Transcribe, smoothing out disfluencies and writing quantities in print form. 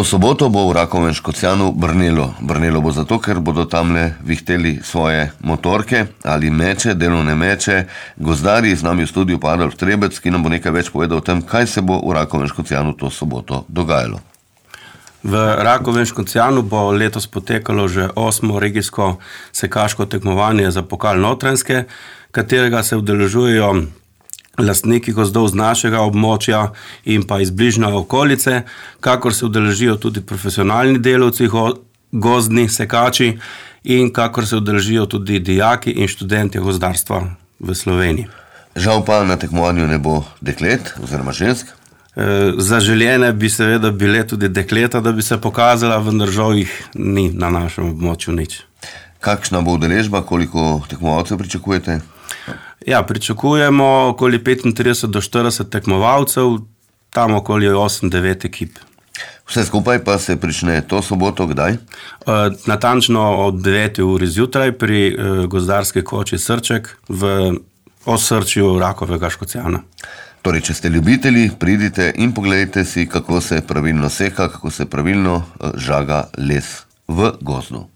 To soboto bo v Rakovem Škocjanu brnelo. Brnelo bo zato, ker bodo tamle vihteli svoje motorke ali meče, delovne meče. Gozdarji, z nami v studiu pa Adolf Trebec, ki nam bo nekaj več povedal o tem, kaj se bo v Rakovem Škocjanu to soboto dogajalo. V Rakovem Škocjanu bo letos potekalo že 8. regijsko sekaško tekmovanje za pokal Notranjske, katerega se udeležujejo lastniki gozdov z našega območja in pa iz bližnje okolice, kakor se udeležijo tudi profesionalni delavci, gozdni sekači in kakor se udeležijo tudi dijaki in študentje gozdarstva v Sloveniji. Žal pa na tekmovanju ne bo deklet oziroma žensk. Zaželjene bi seveda bile tudi dekleta, da bi se pokazala, vendar žal jih ni na našem območju nič. Kakšna bo udeležba, koliko tekmovalcev pričakujete? Ja, pričakujemo okoli 35 do 40 tekmovalcev, tam okoli 8-9 ekip. Vse skupaj pa se prične to soboto kdaj? Natančno ob 9. uri zjutraj pri gozdarski koči Srček v osrčju Rakovega Škocjana. Torej, če ste ljubitelji, pridite in pogledajte si, kako se pravilno seka, kako se pravilno žaga les v gozdu.